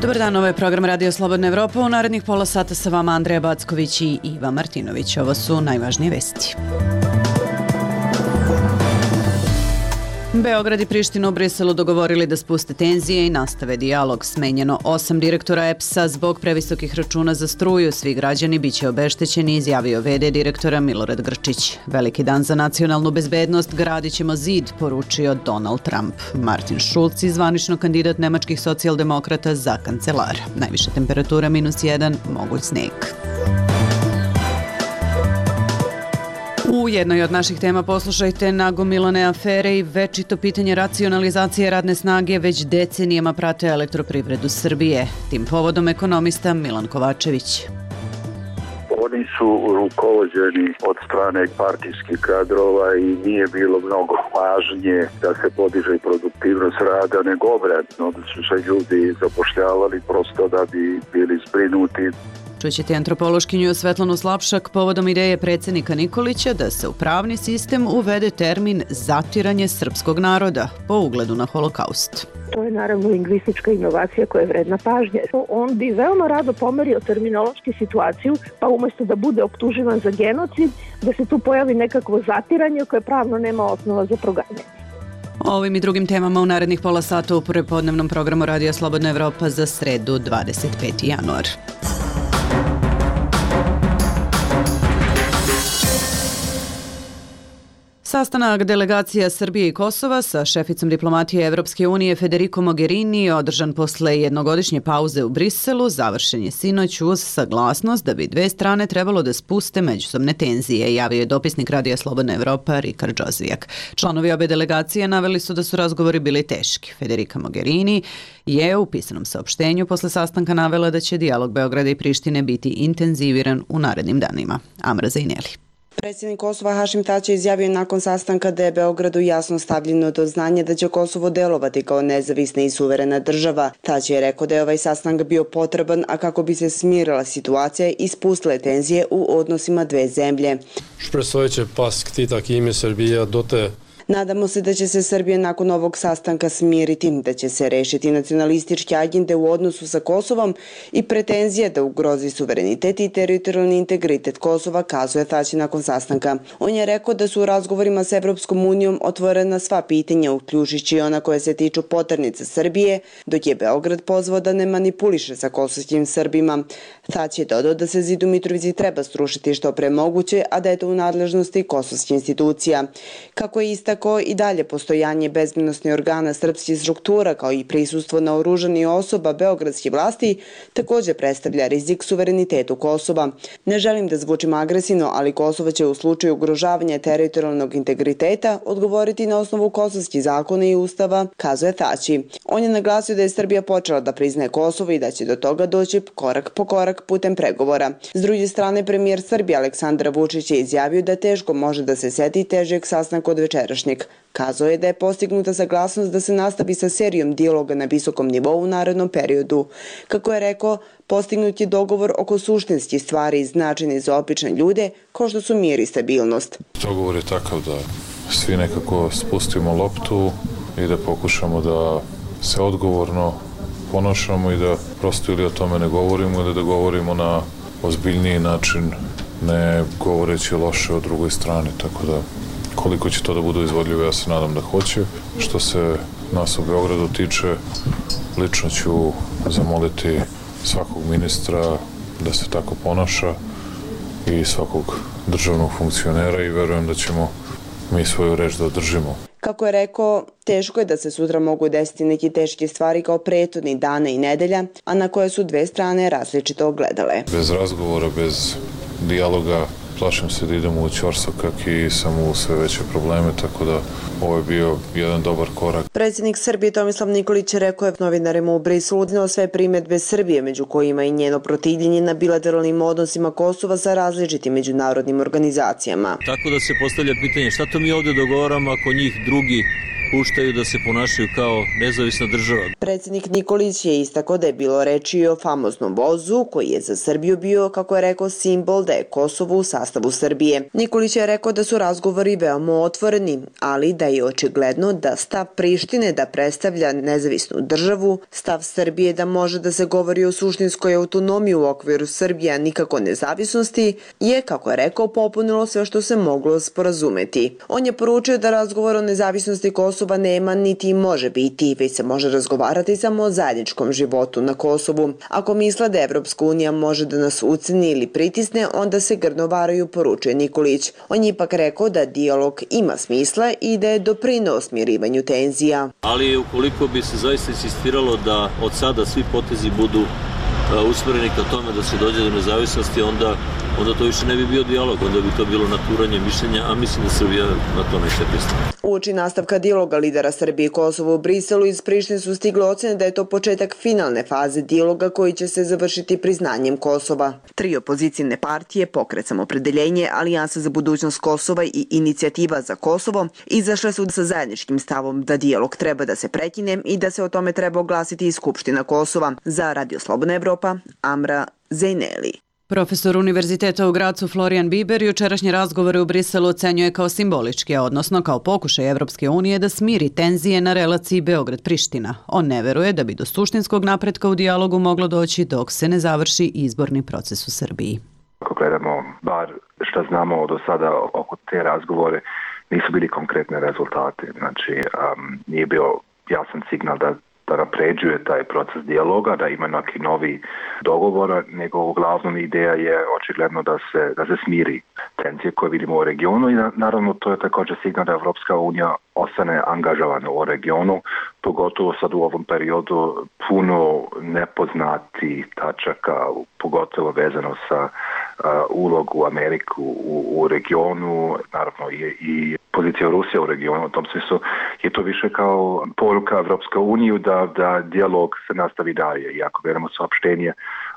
Dobar dan, ovo je program Radio Slobodna Evropa. U narednih pola sata sa vama Andreja Backović i Iva Martinović. Ovo su najvažnije vesti. Beograd i Priština u Briselu dogovorili da spuste tenzije i nastave dijalog. Smenjeno 8 direktora EPS-a zbog previsokih računa za struju. Svi građani biće obeštećeni, izjavio v.d. direktora Milorad Grčić. Veliki dan za nacionalnu bezbednost, gradit ćemo zid, poručio Donald Trump. Martin Schulz, zvanično kandidat nemačkih socijaldemokrata za kancelara. Najviša temperatura -1, moguć sneg. U jednoj od naših tema poslušajte nagomilane afere i večito pitanje racionalizacije radne snage već decenijama prate Elektroprivredu Srbije. Tim povodom ekonomista Milan Kovačević. Oni su rukovođeni od strane partijskih kadrova i nije bilo mnogo pažnje da se podiže produktivnost rada, nego obratno da su se ljudi zapošljavali prosto da bi bili zbrinuti. Čućete antropološkinju Svetlanu Slapšak povodom ideje predsjednika Nikolića da se u pravni sistem uvede termin zatiranje srpskog naroda po ugledu na holokaust. To je naravno lingvistička inovacija koja je vredna pažnje. On bi veoma rado pomerio terminološki situaciju, pa umjesto da bude optuživan za genocid, da se tu pojavi nekakvo zatiranje koje pravno nema osnova za proganjanje. O ovim i drugim temama u narednih pola sata u prepodnevnom programu Radija Slobodna Evropa za sredu 25. januar. Sastanak delegacija Srbije i Kosova sa šeficom diplomatije Evropske unije Federico Mogherini održan posle jednogodišnje pauze u Briselu završen je sinoć uz saglasnost da bi dve strane trebalo da spuste međusobne tenzije, javio je dopisnik Radija Slobodna Evropa Rikard Džozvijak. Članovi obe delegacije naveli su da su razgovori bili teški. Federica Mogherini je u pisanom saopštenju posle sastanka navela da će dijalog Beograda i Prištine biti intenziviran u narednim danima. Amra Zajneli. Predsjednik Kosova Hašim Tači izjavio nakon sastanka da je Beogradu jasno stavljeno do znanja da će Kosovo delovati kao nezavisna i suverena država. Tači je rekao da je ovaj sastanak bio potreban, a kako bi se smirila situacija i spustile tenzije u odnosima dve zemlje. Predstojeće pas ktita Kime Srbija dote. Nadamo se da će se Srbija nakon ovog sastanka smiriti, da će se rešiti nacionalističke agende u odnosu sa Kosovom i pretenzije da ugrozi suverenitet i teritorijalni integritet Kosova, kazuje Tači nakon sastanka. On je rekao da su u razgovorima s Evropskom unijom otvorena sva pitanja, uključujući ona koje se tiču poternice Srbije, dok je Beograd pozvao da ne manipuliše sa kosovskim Srbima. Tači je dodao da se zid u Mitrovici treba srušiti što pre moguće, a da je to u nadležnosti kosovskih institucija. Kako je istakao, i dalje postojanje bezbednosnih organa srpskih struktura kao i prisustvo naoružanih osoba beogradskih vlasti također predstavlja rizik suverenitetu Kosova. Ne želim da zvučim agresivno, ali Kosovo će u slučaju ugrožavanja teritorijalnog integriteta odgovoriti na osnovu kosovskih zakona i ustava, kazuje Tači. On je naglasio da je Srbija počela da priznaje Kosovo i da će do toga doći korak po korak putem pregovora. S druge strane, premijer Srbije Aleksandar Vučić je izjavio da teško može da se seti težeg sastanka od večerašnjeg. Kazao je da je postignuta saglasnost da se nastavi sa serijom dijaloga na visokom nivou u narednom periodu. Kako je rekao, postignut je dogovor oko suštinskih stvari značajnih za obične ljude, kao što su mir i stabilnost. Dogovor je takav da svi nekako spustimo loptu i da pokušamo da se odgovorno ponašamo i da prosto ili o tome ne govorimo ili da govorimo na ozbiljniji način, ne govoreći loše o drugoj strani, tako da koliko će to da bude izvodljivo, ja se nadam da hoće. Što se nas u Beogradu tiče, lično ću zamoliti svakog ministra da se tako ponaša i svakog državnog funkcionera i verujem da ćemo mi svoju reč da održimo. Kako je rekao, teško je da se sutra mogu desiti neki teške stvari kao prethodni dana i nedelja, a na koje su dve strane različito gledale. Bez razgovora, bez dijaloga, plašim se da idemo u ćorsokak i samo u sve veće probleme, tako da ovo je bio jedan dobar korak. Predsjednik Srbije Tomislav Nikolić rekao je novinarima u Briselu izneo sve primjedbe Srbije, među kojima i njeno protivljenje na bilateralnim odnosima Kosova sa različitim međunarodnim organizacijama. Tako da se postavlja pitanje šta to mi ovdje dogovaramo ako njih drugi puštaju da se ponašaju kao nezavisna država. Predsjednik Nikolić je istakao da je bilo reči o famoznom vozu koji je za Srbiju bio, kako je rekao, simbol da je Kosovo u sastavu Srbije. Nikolić je rekao da su razgovori veoma otvoreni, ali da je očigledno da stav Prištine da predstavlja nezavisnu državu, stav Srbije da može da se govori o suštinskoj autonomiji u okviru Srbije, a nikako nezavisnosti, je, kako je rekao, popunilo sve što se moglo sporazumeti. On je poručio da razgovor o nezavisnosti Kosova nema niti može biti, već se može razgovarati samo o zajedničkom životu na Kosovu. Ako misle da Evropska unija može da nas uceni ili pritisne, onda se grdno varaju, poručuje Nikolić. On je ipak rekao da dijalog ima smisla i da je doprineo smirivanju tenzija. Ali ukoliko bi se zaista insistiralo da od sada svi potezi budu usmereni ka tome da se dođe do nezavisnosti, onda to više ne bi bio dijalog, onda bi to bilo naturanje mišljenja, a mislim da Srbija na to neće pristati. Uoči nastavka dijaloga lidera Srbije i Kosova u Briselu, iz Prištine su stigle ocene da je to početak finalne faze dijaloga koji će se završiti priznanjem Kosova. 3 opozicijne partije, Pokret Samopredeljenje, Alijansa za budućnost Kosova i Inicijativa za Kosovo, izašle su sa zajedničkim stavom da dijalog treba da se prekine i da se o tome treba oglasiti i Skupština Kosova. Za Radio Slobodna Evropa, Amra Zejneli. Profesor Univerziteta u Gracu Florian Biber jučerašnje razgovore u Briselu ocenjuje kao simboličke, odnosno kao pokušaj Evropske unije da smiri tenzije na relaciji Beograd-Priština. On ne veruje da bi do suštinskog napretka u dijalogu moglo doći dok se ne završi izborni proces u Srbiji. Ako gledamo bar što znamo do sada oko te razgovore, nisu bili konkretne rezultate. Znači, nije bio jasan signal da napređuje taj proces dijaloga, da ima neki novi dogovor, nego uglavnom ideja je očigledno da se smiri tenzije koje vidimo u regionu i naravno to je također signal da Evropska unija ostane angažovana u regionu, pogotovo sad u ovom periodu puno nepoznati tačaka, pogotovo vezano sa ulogu Ameriku u regionu, naravno i pozicija Rusije u regionu. U tom smislu je to više kao poruka Evropske unije da dijalog se nastavi dalje. I ako gledamo saopštenje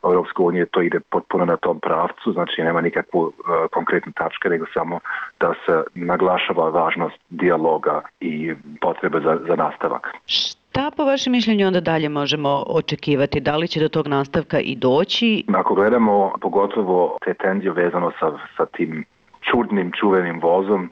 Evropske unije, to ide potpuno na tom pravcu, znači nema nikakvu konkretnu tačku, nego samo da se naglašava važnost dijaloga i potrebe za nastavak. Šta po vašem mišljenju onda dalje možemo očekivati? Da li će do tog nastavka i doći? Ako gledamo pogotovo te tenzije vezano sa tim čudnim, čuvenim vozom,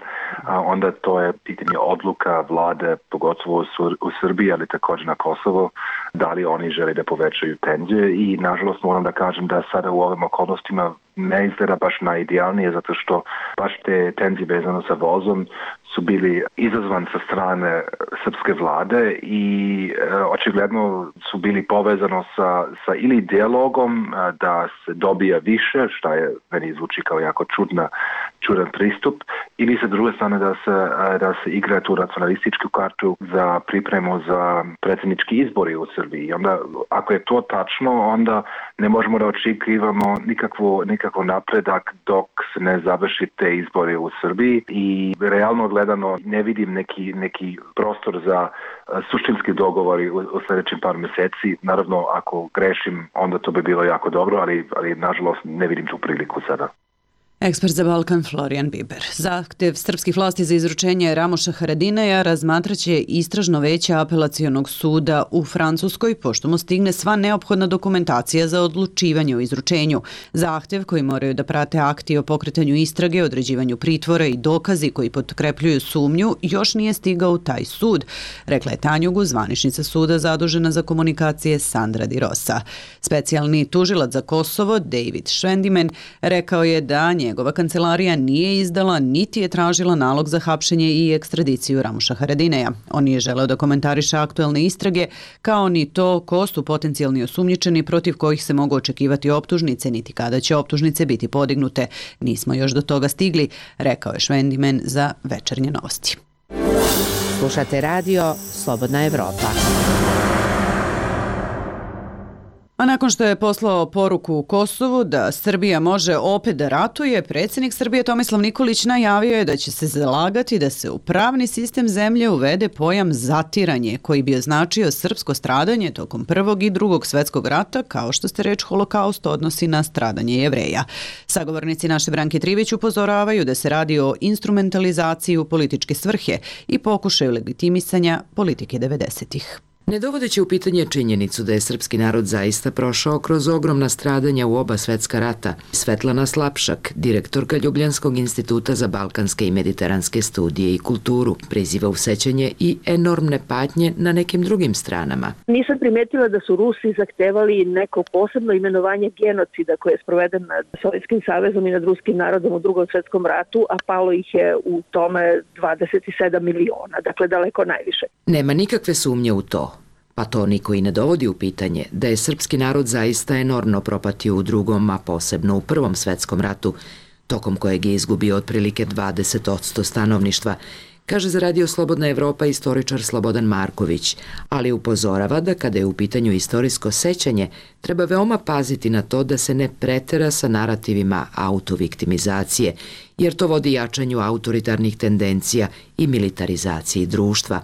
onda to je pitanje odluka vlade, pogotovo u Srbiji, ali također na Kosovo, da li oni žele da povećaju tenzije i nažalost moram da kažem da sada u ovim okolnostima ne izgleda baš najidealnije, zato što baš te tenzije vezano sa vozom su bili izazvan sa strane srpske vlade i očigledno su bili povezano sa ili dijalogom da se dobija više, što je meni zvuči kao jako čudan pristup, ili sa druge strane da se igra tu nacionalističku kartu za pripremu za predsjednički izbori u Srbiji. I onda, ako je to tačno, onda ne možemo da očekivamo nikakav napredak dok se ne završi te izbori u Srbiji i realno gledano ne vidim neki prostor za suštinski dogovori u sljedećim par mjeseci. Naravno, ako grešim, onda to bi bilo jako dobro, ali nažalost ne vidim tu priliku sada. Ekspert za Balkan Florian Biber. Zahtev srpskih vlasti za izručenje Ramoša Haradinaja razmatraće istražno veće apelacionog suda u Francuskoj, pošto mu stigne sva neophodna dokumentacija za odlučivanje o izručenju. Zahtev koji moraju da prate akti o pokretanju istrage, određivanju pritvora i dokazi koji potkrepljuju sumnju još nije stigao u taj sud, rekla je Tanjugu, zvaničnica suda zadužena za komunikacije Sandra Di Rosa. Specijalni tužilac za Kosovo, David Schwendimen, rekao je da njegova kancelarija nije izdala niti je tražila nalog za hapšenje i ekstradiciju Ramoša Haradinaja. On nije želeo da komentariše aktuelne istrage, kao ni to ko su potencijalni osumnjičeni protiv kojih se mogu očekivati optužnice, niti kada će optužnice biti podignute. Nismo još do toga stigli, rekao je Schwendimen za Večernje novosti. Slušate radio Slobodna Evropa. A nakon što je poslao poruku u Kosovu da Srbija može opet da ratuje, predsjednik Srbije Tomislav Nikolić najavio je da će se zalagati da se u pravni sistem zemlje uvede pojam zatiranje, koji bi označio srpsko stradanje tokom Prvog i Drugog svjetskog rata, kao što se reč holokaust odnosi na stradanje Jevreja. Sagovornici naše Branke Trivić upozoravaju da se radi o instrumentalizaciji u političke svrhe i pokušaju legitimisanja politike 90-ih. Ne dovodeći u pitanje činjenicu da je srpski narod zaista prošao kroz ogromna stradanja u oba svetska rata, Svetlana Slapšak, direktorka Ljubljanskog instituta za balkanske i mediteranske studije i kulturu, priziva u sećanje i enormne patnje na nekim drugim stranama. Nisam primetila da su Rusi zahtevali neko posebno imenovanje genocida koje je sproveden nad Sovjetskim savezom i nad ruskim narodom u Drugom svjetskom ratu, a palo ih je u tome 27 miliona, dakle daleko najviše. Nema nikakve sumnje u to. Pa to niko i ne dovodi u pitanje da je srpski narod zaista enormno propatio u Drugom, a posebno u Prvom svetskom ratu, tokom kojeg je izgubio otprilike 20% stanovništva, kaže za Radio Slobodna Evropa istoričar Slobodan Marković, ali upozorava da kada je u pitanju istorijsko sećanje, treba veoma paziti na to da se ne pretera sa narativima autoviktimizacije, jer to vodi jačanju autoritarnih tendencija i militarizaciji društva.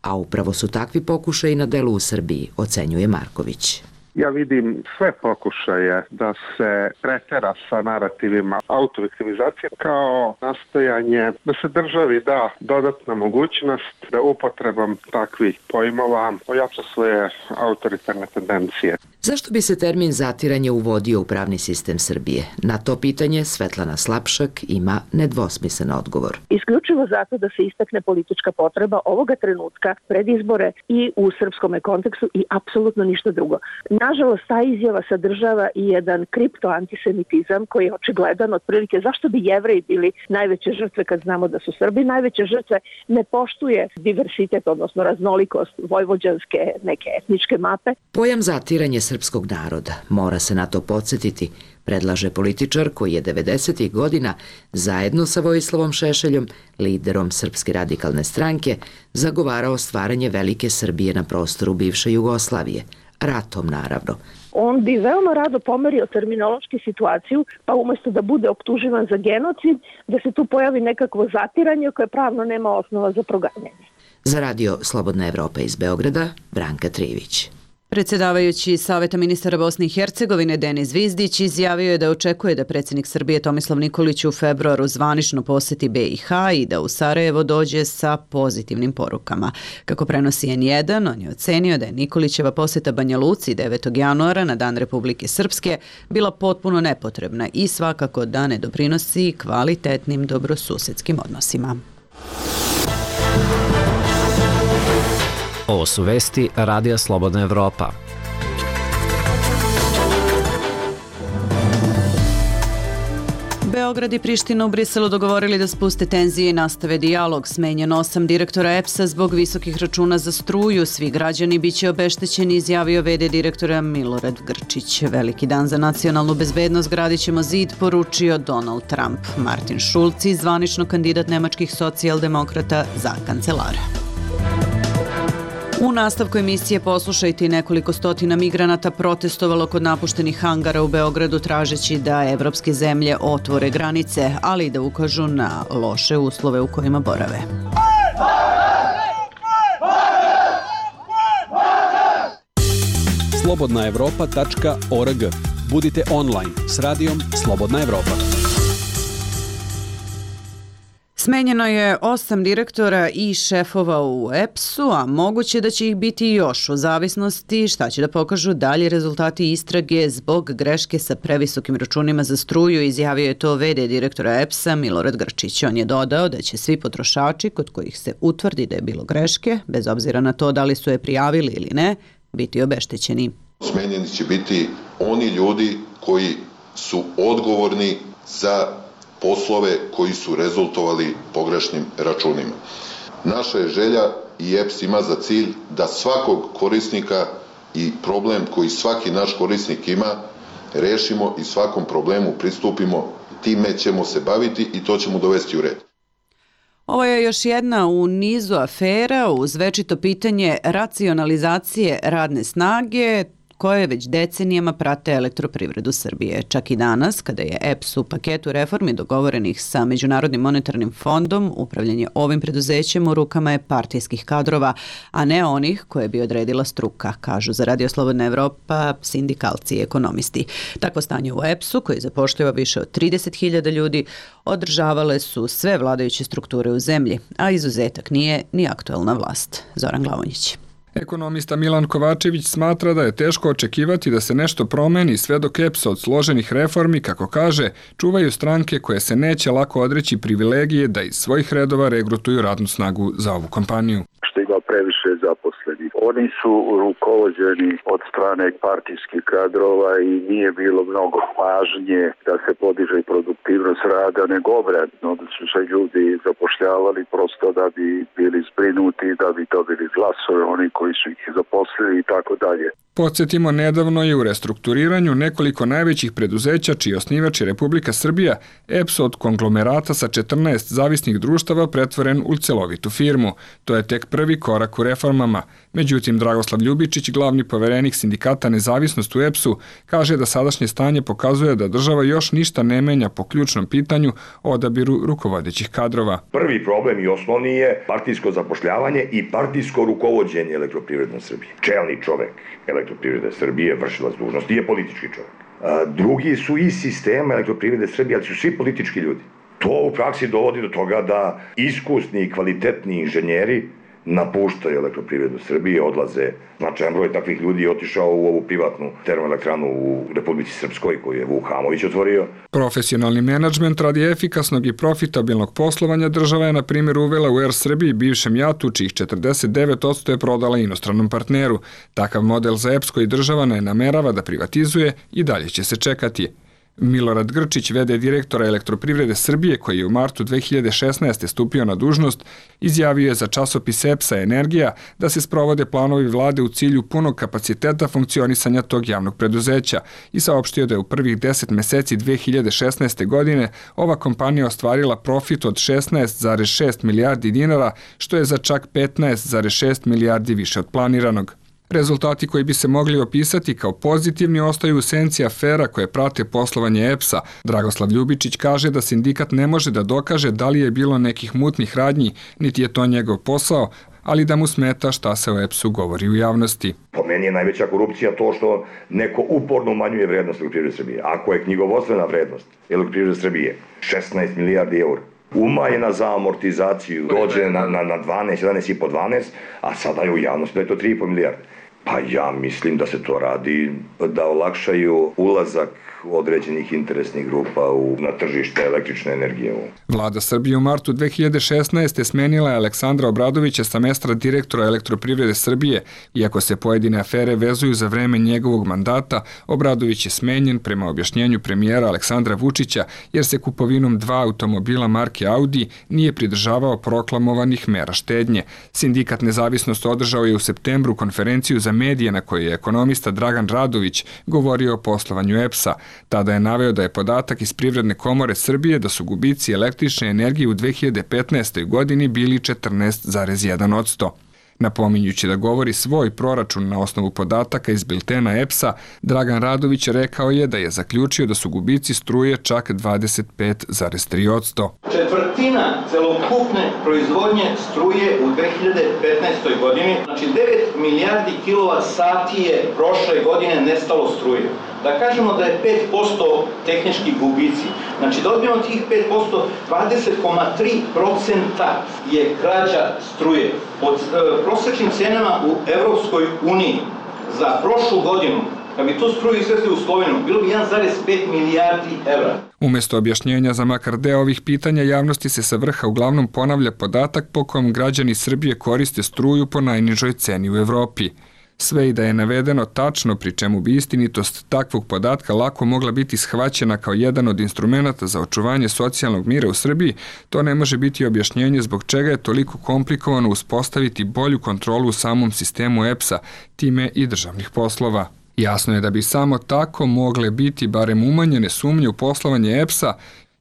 A upravo su takvi pokušaji na delu u Srbiji, ocenjuje Marković. Ja vidim sve pokušaje da se pretera sa narativima autoviktimizacije kao nastojanje da se državi da dodatna mogućnost da upotrebom takvih pojmova ojača svoje autoritarne tendencije. Zašto bi se termin zatiranje uvodio u pravni sistem Srbije? Na to pitanje Svetlana Slapšak ima nedvosmislen odgovor. Isključivo zato da se istakne politička potreba ovoga trenutka pred izbore i u srpskom kontekstu i apsolutno ništa drugo. Nažalost, ta izjava sadržava i jedan kriptoantisemitizam koji je očigledan otprilike zašto bi Jevreji bili najveće žrtve kad znamo da su Srbi najveće žrtve, ne poštuje diversitet, odnosno raznolikost vojvođanske neke etničke mape. Pojam zatiranje srpskog naroda, mora se na to podsjetiti, predlaže političar koji je 90. godina zajedno sa Vojislavom Šešeljom, liderom Srpske radikalne stranke, zagovarao stvaranje velike Srbije na prostoru bivše Jugoslavije. Ratom, naravno. On bi veoma rado pomerio terminološki situaciju, pa umjesto da bude optuživan za genocid, da se tu pojavi nekakvo zatiranje koje pravno nema osnova za proganjanje. Za Radio Slobodna Evropa iz Beograda, Branka Trivić. Predsjedavajući Saveta ministara Bosne i Hercegovine Denis Zvizdić izjavio je da očekuje da predsjednik Srbije Tomislav Nikolić u februaru zvanično posjeti BiH i da u Sarajevo dođe sa pozitivnim porukama. Kako prenosi N1, on je ocenio da je Nikolićeva posjeta Banja Luci 9. januara na Dan Republike Srpske bila potpuno nepotrebna i svakako da ne doprinosi kvalitetnim dobrosusedskim odnosima. Ovo su vesti Radija Slobodna Evropa. Beograd i Priština u Briselu dogovorili da spuste tenzije i nastave dijalog. Smenjeno 8 direktora EPS-a zbog visokih računa za struju. Svi građani biće obeštećeni, izjavio v.d. direktora Milorad Grčić. Veliki dan za nacionalnu bezbednost, gradit ćemo zid, poručio Donald Trump. Martin Schulz, zvanično kandidat nemačkih socijaldemokrata za kancelara. U nastavku emisije poslušajte i nekoliko stotina migranata protestovalo kod napuštenih hangara u Beogradu tražeći da evropske zemlje otvore granice, ali i da ukažu na loše uslove u kojima borave. slobodnaevropa.org. Budite online s radijom Slobodna Evropa. Smenjeno je 8 direktora i šefova u EPS-u, a moguće da će ih biti još u zavisnosti šta će da pokažu dalji rezultati istrage zbog greške sa previsokim računima za struju, izjavio je to v.d. direktora EPS-a Milorad Grčić. On je dodao da će svi potrošači kod kojih se utvrdi da je bilo greške, bez obzira na to da li su je prijavili ili ne, biti obeštećeni. Smenjeni će biti oni ljudi koji su odgovorni za poslove koji su rezultovali pogrešnim računima. Naša je želja i EPS ima za cilj da svakog korisnika i problem koji svaki naš korisnik ima rešimo i svakom problemu pristupimo, time ćemo se baviti i to ćemo dovesti u red. Ovo je još jedna u nizu afera uz večito pitanje racionalizacije radne snage koje već decenijama prate elektroprivredu Srbije. Čak i danas, kada je EPS u paketu reformi dogovorenih sa Međunarodnim monetarnim fondom, upravljanje ovim preduzećem u rukama je partijskih kadrova, a ne onih koje bi odredila struka, kažu za Radio Slobodna Evropa sindikalci i ekonomisti. Takvo stanje u EPS-u, koji zapošljava više od 30.000 ljudi, održavale su sve vladajuće strukture u zemlji, a izuzetak nije ni aktuelna vlast. Zoran Glavonjić. Ekonomista Milan Kovačević smatra da je teško očekivati da se nešto promeni sve dok EPS od složenih reformi, kako kaže, čuvaju stranke koje se neće lako odreći privilegije da iz svojih redova regrutuju radnu snagu za ovu kompaniju. Što ima previše zaposlenih. Oni su rukovođeni od strane partijskih kadrova i nije bilo mnogo pažnje da se podiže produktivnost rada, nego obratno, da su se ljudi zapošljavali prosto da bi bili zbrinuti, da bi dobili glasove oni koji su ih zaposlili i tako dalje. Podsjetimo, nedavno je u restrukturiranju nekoliko najvećih preduzeća čiji osnivač je Republika Srbija, EPS od konglomerata sa 14 zavisnih društava pretvoren u celovitu firmu. To je tek prvi korak u reformama. Međutim, Dragoslav Ljubičić, glavni poverenik sindikata Nezavisnost u EPS-u, kaže da sadašnje stanje pokazuje da država još ništa ne menja po ključnom pitanju o odabiru rukovodećih kadrova. Prvi problem i osnovni je partijsko zapošljavanje i partijsko rukovođenje Elektroprivredne Srbije. Čelni čovek Elektroprivrede Srbije, vršilac dužnosti, je politički čovjek. Drugi su iz sistema Elektroprivrede Srbije, ali su svi politički ljudi. To u praksi dovodi do toga da iskusni i kvalitetni inženjeri napuštaju Elektroprivredu Srbije, odlaze. Značajan broj takvih ljudi je otišao u ovu privatnu termoelektranu u Republici Srpskoj koju je Vuk Hamović otvorio. Profesionalni menadžment radi efikasnog i profitabilnog poslovanja država je na primjer uvela u Er Srbiji bivšem JAT-u, čijih 49% je prodala inostranom partneru. Takav model za EPS koji država ne namerava da privatizuje i dalje će se čekati. Milorad Grčić, v.d. direktora Elektroprivrede Srbije, koji je u martu 2016. stupio na dužnost, izjavio je za časopis EPS-a Energija da se sprovode planovi vlade u cilju punog kapaciteta funkcionisanja tog javnog preduzeća i saopštio da je u prvih 10 meseci 2016. godine ova kompanija ostvarila profit od 16,6 milijardi dinara, što je za čak 15,6 milijardi više od planiranog. Rezultati koji bi se mogli opisati kao pozitivni ostaju u senci afera koje prate poslovanje EPS-a. Dragoslav Ljubičić kaže da sindikat ne može da dokaže da li je bilo nekih mutnih radnji, niti je to njegov posao, ali da mu smeta šta se o EPS-u govori u javnosti. Po meni je najveća korupcija to što neko uporno umanjuje vrednost Elektroprivrede Srbije. Ako je knjigovodstvena vrednost Elektroprivrede Srbije 16 milijardi eura, umanjena za amortizaciju, dođe na 12, 11,5, 12, a sada je u javnosti da je to 3,5 milijarde. Pa ja mislim da se to radi da olakšaju ulazak određenih interesnih grupa na tržište električne energije. Vlada Srbije u martu 2016. smenila je Aleksandra Obradovića sa mesta direktora Elektroprivrede Srbije. Iako se pojedine afere vezuju za vreme njegovog mandata, Obradović je smenjen prema objašnjenju premijera Aleksandra Vučića jer se kupovinom 2 automobila marke Audi nije pridržavao proklamovanih mera štednje. Sindikat Nezavisnost održao je u septembru konferenciju za medije na kojoj je ekonomista Dragan Radović govorio o poslovanju EPS-a. Tada je naveo da je podatak iz Privredne komore Srbije da su gubici električne energije u 2015. godini bili 14,1%. Napominjući da govori svoj proračun na osnovu podataka iz biltena EPS-a, Dragan Radović rekao je da je zaključio da su gubici struje čak 25,3%. Četvrtina celokupne proizvodnje struje u 2015. godini, znači 9 milijardi kWh je prošle godine nestalo struje. Da kažemo da je 5% tehnički gubici. Znači da odbijemo tih 5%, 20,3% je krađa struje. Pod prosječnim cenama u Evropskoj uniji za prošlu godinu, kad bi tu struju izvezli u Sloveniju, bilo bi 1,5 milijardi evra. Umjesto objašnjenja za makar deo ovih pitanja, javnosti se sa vrha uglavnom ponavlja podatak po kojem građani Srbije koriste struju po najnižoj ceni u Evropi. Sve i da je navedeno tačno, pri čemu bi istinitost takvog podatka lako mogla biti shvaćena kao jedan od instrumenata za očuvanje socijalnog mira u Srbiji, to ne može biti objašnjenje zbog čega je toliko komplikovano uspostaviti bolju kontrolu u samom sistemu EPS-a, time i državnih poslova. Jasno je da bi samo tako mogle biti barem umanjene sumnje u poslovanje EPS-a,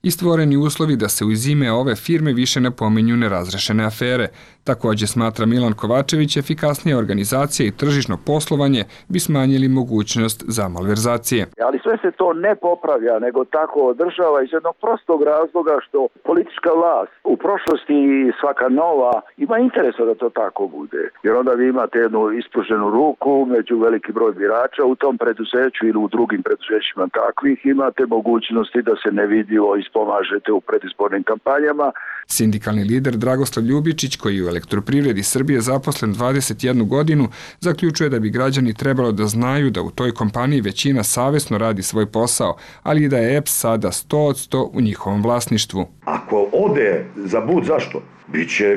i stvoreni uslovi da se uz ime ove firme više ne pominju nerazrešene afere. Također, smatra Milan Kovačević, efikasnija organizacija i tržišno poslovanje bi smanjili mogućnost za malverzacije. Ali sve se to ne popravlja, nego tako održava iz jednog prostog razloga što politička vlast u prošlosti i svaka nova ima interesa da to tako bude. Jer onda vi imate jednu ispruženu ruku među veliki broj birača u tom preduzeću ili u drugim preduzećima takvih, imate mogućnosti da se nevidljivo ispomažete u predizbornim kampanjama. Sindikalni lider Dragoslav Ljubičić, koji je u Elektroprivredi Srbije zaposlen 21 godinu, zaključuje da bi građani trebalo da znaju da u toj kompaniji većina savesno radi svoj posao, ali i da je EPS sada 100% u njihovom vlasništvu. Ako ode za bud, zašto?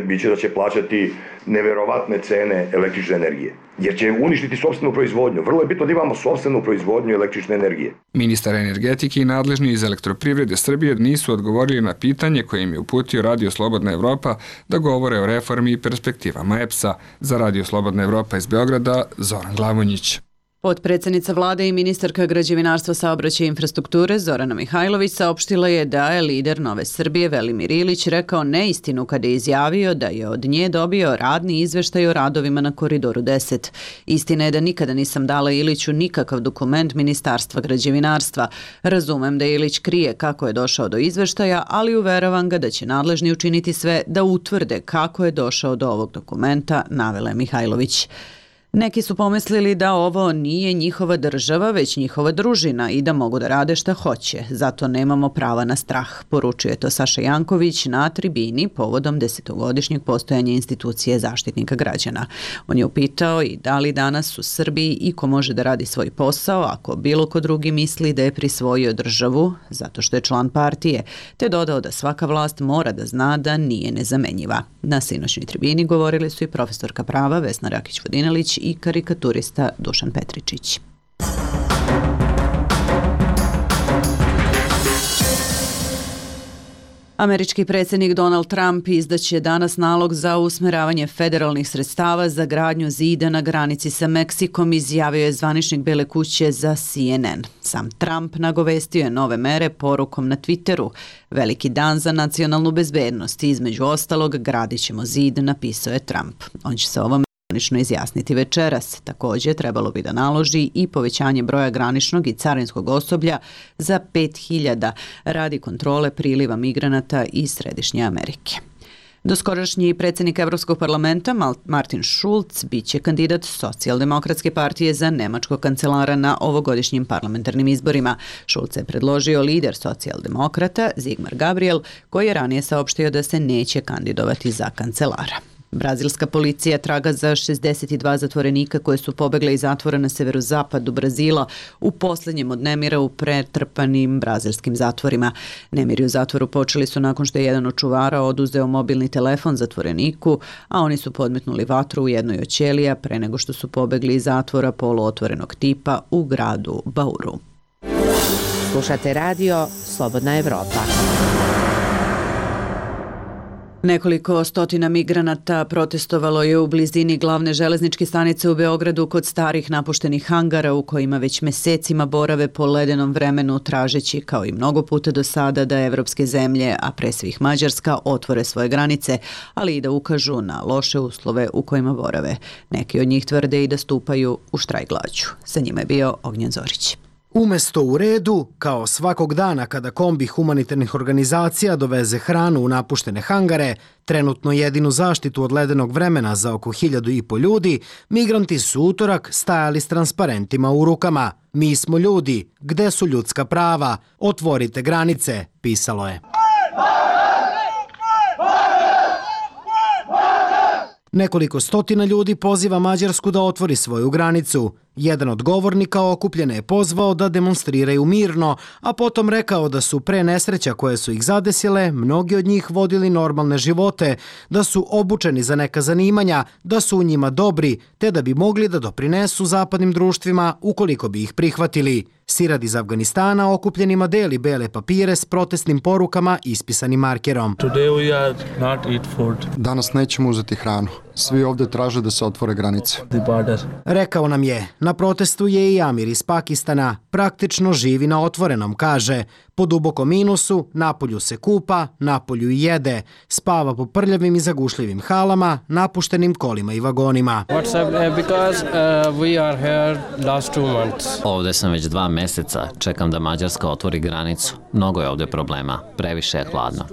Biće da će plaćati neverovatne cene električne energije, jer će uništiti sopstvenu proizvodnju. Vrlo je bitno da imamo sopstvenu proizvodnju električne energije. Ministar energetike i nadležni iz Elektroprivrede Srbije nisu odgovorili na pitanje koje im je uputio Radio Slobodna Evropa da govore o reformi i perspektivama EPS-a. Za Radio Slobodna Evropa iz Beograda, Zoran Glavonjić. Potpredsjednica vlade i ministarka građevinarstva, saobraćaja i infrastrukture Zorana Mihajlović saopštila je da je lider Nove Srbije Velimir Ilić rekao neistinu kada je izjavio da je od nje dobio radni izveštaj o radovima na Koridoru 10. Istina je da nikada nisam dala Iliću nikakav dokument Ministarstva građevinarstva. Razumem da Ilić krije kako je došao do izveštaja, ali uveravam ga da će nadležni učiniti sve da utvrde kako je došao do ovog dokumenta, navela je Mihajlović. Neki su pomislili da ovo nije njihova država, već njihova družina i da mogu da rade šta hoće. Zato nemamo prava na strah, poručuje to Saša Janković na tribini povodom 10-godišnjeg postojanja institucije Zaštitnika građana. On je upitao i da li danas u Srbiji iko može da radi svoj posao ako bilo ko drugi misli da je prisvojio državu zato što je član partije, te dodao da svaka vlast mora da zna da nije nezamenjiva. Na sinoćnoj tribini govorili su i profesorka prava Vesna Rakić-Vodinelić i karikaturista Dušan Petričić. Američki predsjednik Donald Trump izdaće danas nalog za usmeravanje federalnih sredstava za gradnju zida na granici sa Meksikom, izjavio je zvaničnik Bele kuće za CNN. Sam Trump nagovestio je nove mere porukom na Twitteru. Veliki dan za nacionalnu bezbednost, između ostalog gradit ćemo zid, napisao je Trump. On će se ovom granično izjasniti večeras. Također trebalo bi da naloži i povećanje broja graničnog i carinskog osoblja za 5.000 radi kontrole priliva migranata iz Središnje Amerike. Doskorašnji predsjednik Evropskog parlamenta Martin Schulz biće kandidat Socijaldemokratske partije za nemačkog kancelara na ovogodišnjim parlamentarnim izborima. Schulz je predložio lider socijaldemokrata Sigmar Gabriel, koji je ranije saopštio da se neće kandidovati za kancelara. Brazilska policija traga za 62 zatvorenika koje su pobegle iz zatvora na severozapadu Brazila u posljednjem od nemira u pretrpanim brazilskim zatvorima. Nemiri u zatvoru počeli su nakon što je jedan od čuvara oduzeo mobilni telefon zatvoreniku, a oni su podmetnuli vatru u jednoj od ćelija pre nego što su pobegli iz zatvora poluotvorenog tipa u gradu Bauru. Slušate radio Slobodna Evropa. Nekoliko stotina migranata protestovalo je u blizini glavne železničke stanice u Beogradu kod starih napuštenih hangara u kojima već mesecima borave po ledenom vremenu, tražeći kao i mnogo puta do sada da evropske zemlje, a pre svih Mađarska, otvore svoje granice, ali i da ukažu na loše uslove u kojima borave. Neki od njih tvrde i da stupaju u štrajk glađu. Sa njima je bio Ognjen Zorić. Umesto u redu, kao svakog dana kada kombi humanitarnih organizacija doveze hranu u napuštene hangare, trenutno jedinu zaštitu od ledenog vremena za oko 1.500 ljudi, migranti su utorak stajali s transparentima u rukama. Mi smo ljudi, gde su ljudska prava? Otvorite granice, pisalo je. Nekoliko stotina ljudi poziva Mađarsku da otvori svoju granicu. Jedan od govornika okupljene je pozvao da demonstriraju mirno, a potom rekao da su pre nesreća koje su ih zadesile, mnogi od njih vodili normalne živote, da su obučeni za neka zanimanja, da su u njima dobri, te da bi mogli da doprinesu zapadnim društvima ukoliko bi ih prihvatili. Sirad iz Afganistana okupljenima deli bele papire s protestnim porukama ispisanim markerom. Danas nećemo uzeti hranu. Svi ovde traže da se otvore granice. Rekao nam je, na protestu je i Amir iz Pakistana, praktično živi na otvorenom, kaže. Po dubokom minusu, napolju se kupa, napolju i jede, spava po prljavim i zagušljivim halama, napuštenim kolima i vagonima. Ovde sam već 2 meseca, čekam da Mađarska otvori granicu. Mnogo je ovde problema, previše je hladno.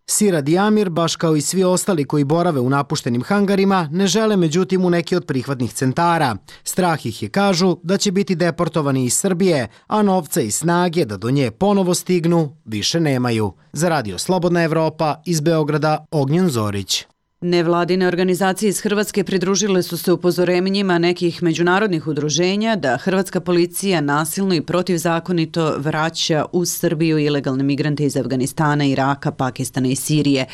Sirad i Amir, baš kao i svi ostali koji borave u napuštenim hangarima, ne žele međutim u neki od prihvatnih centara. Strah ih je, kažu, da će biti deportovani iz Srbije, a novca i snage da do nje ponovo stignu više nemaju. Za Radio Slobodna Evropa, iz Beograda, Ognjen Zorić. Nevladine organizacije iz Hrvatske pridružile su se upozorenjima nekih međunarodnih udruženja da hrvatska policija nasilno i protivzakonito vraća u Srbiju ilegalne migrante iz Afganistana, Iraka, Pakistana i Sirije.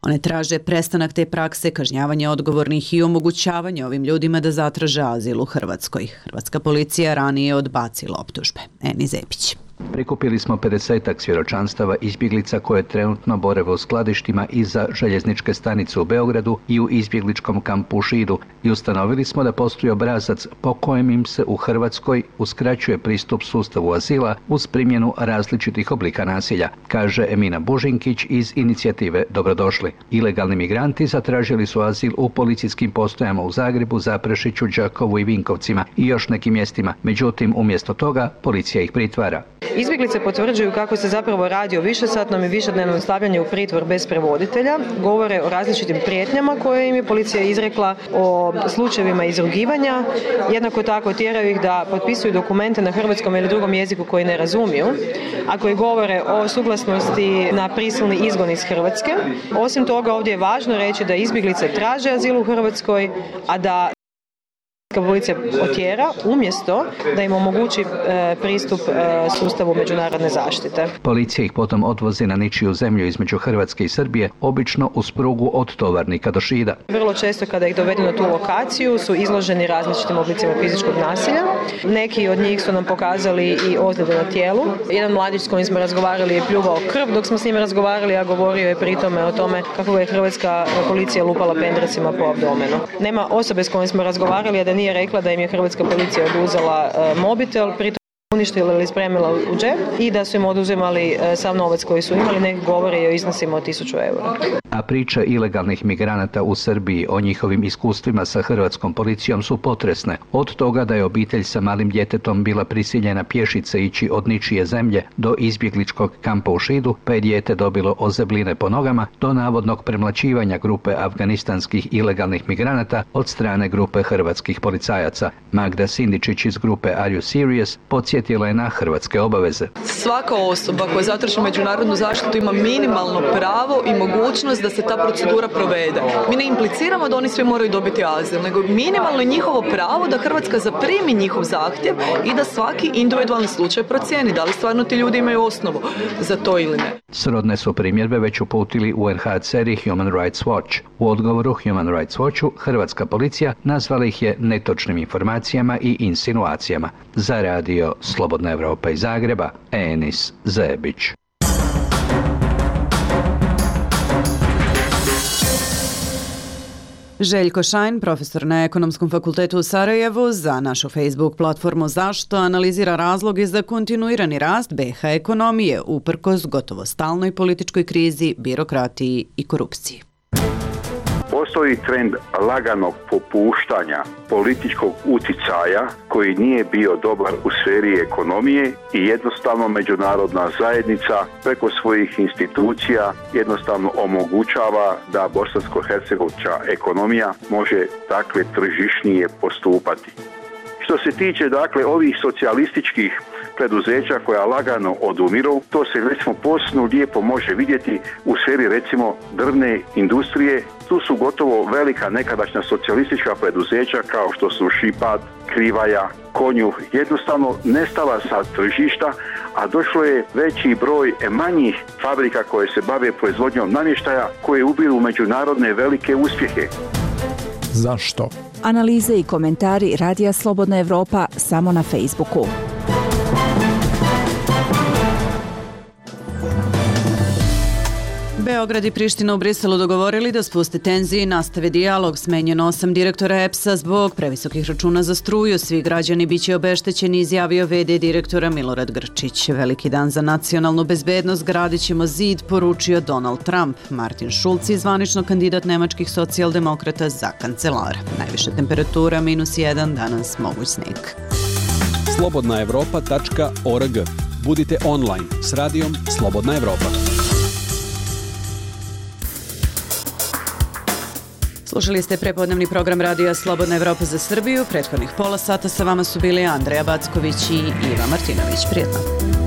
One traže prestanak te prakse, kažnjavanje odgovornih i omogućavanje ovim ljudima da zatraže azil u Hrvatskoj. Hrvatska policija ranije je odbacila optužbe. Eni Zepić. Prikupili smo 50-ak svjedočanstava izbjeglica koje trenutno borave u skladištima iza željezničke stanice u Beogradu i u izbjegličkom kampu u Šidu i ustanovili smo da postoji obrazac po kojem im se u Hrvatskoj uskraćuje pristup sustavu azila uz primjenu različitih oblika nasilja, kaže Emina Bužinkić iz inicijative Dobrodošli. Ilegalni migranti zatražili su azil u policijskim postojama u Zagrebu, Zaprešiću, Đakovu i Vinkovcima i još nekim mjestima. Međutim, umjesto toga, policija ih pritvara. Izbjeglice potvrđuju kako se zapravo radi o višesatnom i višednevnom stavljanju u pritvor bez prevoditelja, govore o različitim prijetnjama koje im je policija izrekla, o slučajevima izrugivanja, jednako tako tjeraju ih da potpisuju dokumente na hrvatskom ili drugom jeziku koji ne razumiju, a koji govore o suglasnosti na prisilni izgon iz Hrvatske. Osim toga, ovdje je važno reći da izbjeglice traže azil u Hrvatskoj, a da policija otjera umjesto da im omogući pristup sustavu međunarodne zaštite. Policija ih potom odvozi na ničiju zemlju između Hrvatske i Srbije, obično uz prugu od Tovarnika do Šida. Vrlo često kada ih dovedu na tu lokaciju su izloženi različitim oblicima fizičkog nasilja. Neki od njih su nam pokazali i ozljede na tijelu. Jedan mladić s kojim smo razgovarali je pljuvao krv dok smo s njim razgovarali, a govorio je pritome o tome kako je hrvatska policija lupala pendrecima po abdomenu. Nema osobe s kojim smo razgovarali, a da nije rekla da im je hrvatska policija oduzela mobitel, pritom uništila ili spremila u džep i da su im oduzimali sav novac koji su imali, neki govore i o iznosima od 1000 eura. A priče ilegalnih migranata u Srbiji o njihovim iskustvima sa hrvatskom policijom su potresne. Od toga da je obitelj sa malim djetetom bila prisiljena pješice ići od ničije zemlje do izbjegličkog kampa u Šidu, pa je dijete dobilo ozebline po nogama, do navodnog premlaćivanja grupe afganistanskih ilegalnih migranata od strane grupe hrvatskih policajaca. Magda Sindičić iz grupe Are You Serious podsjetila je na hrvatske obaveze. Svaka osoba koja zatraži međunarodnu zaštitu ima minimalno pravo i mogućnost da se ta procedura provede. Mi ne impliciramo da oni svi moraju dobiti azil, nego minimalno je njihovo pravo da Hrvatska zaprimi njihov zahtjev i da svaki individualni slučaj procijeni da li stvarno ti ljudi imaju osnovu za to ili ne. Srodne su primjedbe već uputili UNHCR i Human Rights Watch. U odgovoru Human Rights Watchu hrvatska policija nazvala ih je netočnim informacijama i insinuacijama. Za Radio Slobodna Evropa iz Zagreba, Enis Zebić. Željko Šajn, profesor na Ekonomskom fakultetu u Sarajevu, za našu Facebook platformu Zašto analizira razloge za kontinuirani rast BiH ekonomije uprkos gotovo stalnoj političkoj krizi, birokratiji i korupciji. Postoji trend laganog popuštanja političkog uticaja koji nije bio dobar u sferi ekonomije i jednostavno međunarodna zajednica preko svojih institucija jednostavno omogućava da bosansko-hercegovačka ekonomija može takve tržišnije postupati. Što se tiče ovih socijalističkih preduzeća koja lagano odumiru, to se recimo posebno lijepo može vidjeti u sferi recimo drvne industrije. Tu su gotovo velika nekadašnja socijalistička preduzeća kao što su Šipad, Krivaja, Konjuh jednostavno nestala sa tržišta, a došlo je veći broj manjih fabrika koje se bave proizvodnjom namještaja koje ubiru međunarodne velike uspjehe. Zašto? Analize i komentari Radija Slobodna Evropa samo na Facebooku. Beograd i Priština u Briselu dogovorili da spuste tenzije i nastave dijalog. Smenjeno 8 direktora EPS-a zbog previsokih računa za struju. Svi građani biće obeštećeni, izjavio VD direktora Milorad Grčić. Veliki dan za nacionalnu bezbednost, gradit ćemo zid, poručio Donald Trump. Martin Schulz je zvanično kandidat nemačkih socijaldemokrata za kancelara. Najviša temperatura -1, danas moguć sneg. Slobodnaevropa.org. Budite online s radijom Slobodna Evropa. Slušali ste prepodnevni program radija Slobodna Evropa za Srbiju. Prethodnih pola sata sa vama su bili Andreja Backović i Iva Martinović. Prijetno.